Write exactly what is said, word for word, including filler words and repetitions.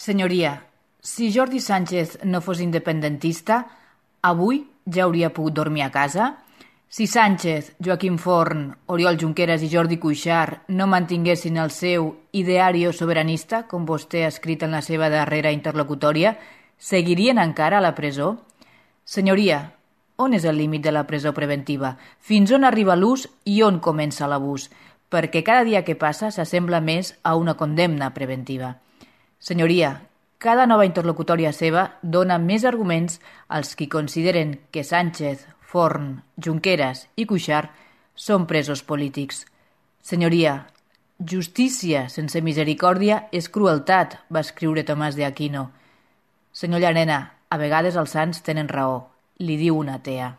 Senyoria, si Jordi Sánchez no fos independentista, avui ja hauria pogut dormir a casa? Si Sánchez, Joaquim Forn, Oriol Junqueras i Jordi Cuixart no mantinguessin el seu ideario soberanista, com vostè ha escrit en la seva darrera interlocutòria, seguirien encara a la presó? Senyoria, on és el límit de la presó preventiva? Fins on arriba l'ús i on comença l'abús? Perquè cada dia que passa s'assembla més a una condemna preventiva. Senyoria, cada nova interlocutòria seva dona més arguments als qui consideren que Sánchez, Forn, Junqueras i Cuixart són presos polítics. Senyoria, justícia sense misericòrdia és crueltat, va escriure Tomàs de Aquino. Senyor Llarena, a vegades els sants tenen raó, li diu una atea.